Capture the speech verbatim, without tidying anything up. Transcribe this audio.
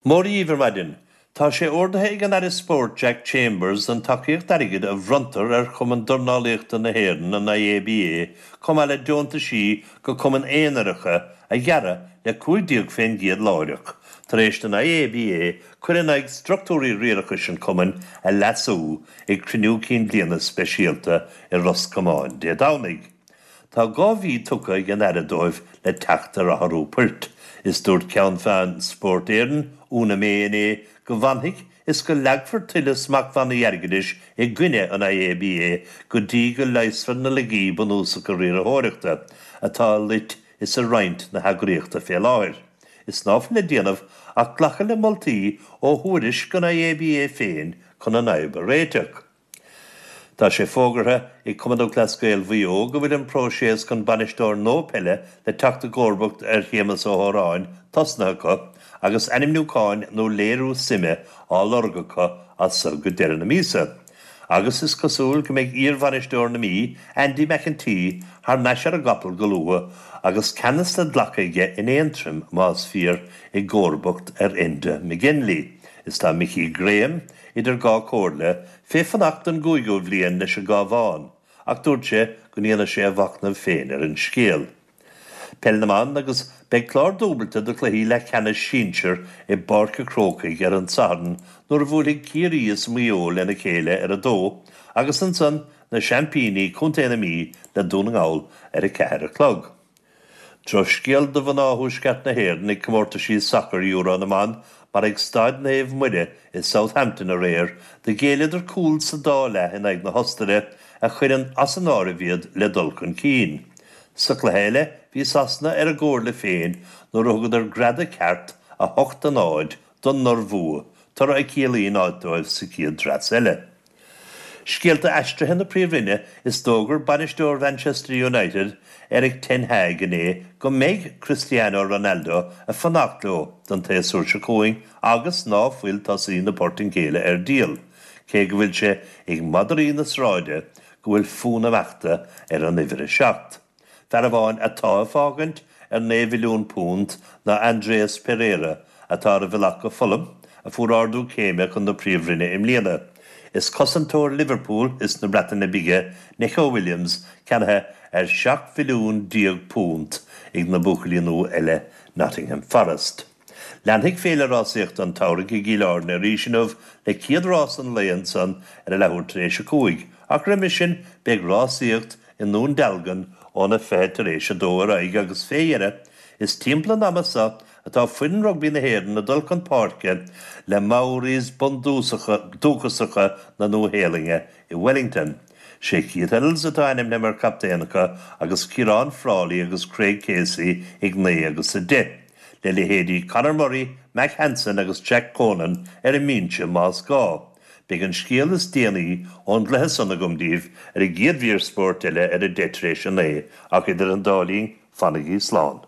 Mora dhaoibh ar maidin, Tá sé ordaithe ag an Aire Spóirt Jack Chambers an tacaíocht airgid a bhronntar ar Chumann Dornálaíochta na hÉireann an IABA chomh maith le deontaisí go cumainn aonaracha a ghearradh le cúig déag faoin gcéad láithreach, tar éis don IABA cur in aghaidh struchtúirí riarachais an chumainn a leasú ag cruinniú cinn bliana speisialta i Ros Comáin Dé Domhnaigh. Tá dhá mhí tugtha ag an Aire dóibh le teacht ar athrú poirt. Is dúirt Ceann Feadhain Spórt Éireann Úna May inné go bhfanfaidh is go leagfar tuilleadh smachtbhannaí airgeadais i gcoinne an IABA go dtí go leigheasfar na laigí bunúsacha riarthóireachta atá loit is a roinnt na heagraíochta fé láthair. Is ná fuil le déanamh ach glacadh le moltaí ó thuairisc an IABA féin chun an fhadhb a réiteach. Tá sé fógartha ag Cumann Lúthchleas Gael Mhaigh Eo go bhfuil an próiseas chun bainisteoir nua peile le teacht i gcomharbacht ar Shéamus Ó hÓráin tosnaithe acu agus ainmniúcháin nó léiriú suime á lorg acu as seo go deireadh na míosa. Agus is cosúil go mbeidh iarbhainisteoir na Mí, Andy McEntee, thar n-ais ar an gcapall go luath agus ceannas le glacadh aige in Aontroim más fíor i gcomharbacht ar Enda McGinley. Is tá Mickey Graham idir dhá chomhairle fé fanacht an cúigiú bliain leis an gCabhán, ach dúirt sé go ndéanfaidh sé a mhachnamh féin ar an scéal. Peil na mban agus beidh clár dúbailte de chluichí leathcheannais sinsir i bPáirc an Chrócaigh ar an Satharn nuair a bhuailfidh Ciarraí is Maigh Eo lena chéile ar a dó agus ansan na seaimpíní Contae na Mí le Dún na nGall ar a ceathair a chlog. Drochscéal do mhná Thuaisceart na hÉireann ag comórtaisí sacair Euro na mban mar ag Staid Naomh Muire i Southampton aréir do ghéilleadar cúl sa dá leath in aghaidh na hOstaire a chuireann as an áireamh iad le dul chun cinn. Sa chluiche eile bhí Sasana ar a gcomhairle féin nuair a thugadar greadadh ceart a hocht a náid don Iorbhua, toradh a chiallaíonn áit dóibh sa chéad dreas eile. Scéalta aistrithe na Príomhroinne is d'fhógair bainisteoir Manchester United Erik ten Hag inné go mbeidh Cristiano Ronaldo ag fanacht leo don tséasúr seo chugainn agus ná fuil tosaí na Portaingéile ar díol, cé go bhfuil sé ag madraí na sráide go bhfuil fonn imeachta ar an uimhir a seacht. Fear amháin atá ag fágaint ar naoi mhilliún punt ná Andreas Pereira atá ar a bhealach go Fulham a fuair ardú céime chun na Príomhroinne i mbliana. Is cosantóir Liverpool is na Breataine Bige Neco Williams ceannaithe ar seacht mhilliún déag punt ag na buachaillí nua eile Nottingham Forest. Leanfaidh féile rásaíochta an tsamhraidh i gCill Airne arís inniu le céad rás an lae ansan ar a leathuair tar éis a cúig, ach roimhe sin beidh rásaíocht i nDún Dealgan óna fiche tar éis a dó ar aghaidh agus fé dheireadh is timpeall an ama seo atá foireann rugbaí na hÉireann ag dul chun páirce le Maoris bundúchasacha na Nua-Shéalainne i Wellington. Sé Keith Earls atá ainmnithe mar chaptaen acu agus Ciarán Frawley agus Craig Casey ag naoi agus a deich, le leithéidí Conor Murray, Mack Hansen agus Jack Conan ar an mbinse más gá. Beidh an scéal is déanaí ón gcluiche san agam daoibh ar an gcéad mhír spóirt eile ar a deich tar éis a naoi, ach idir an dá linn, fanaigí slán.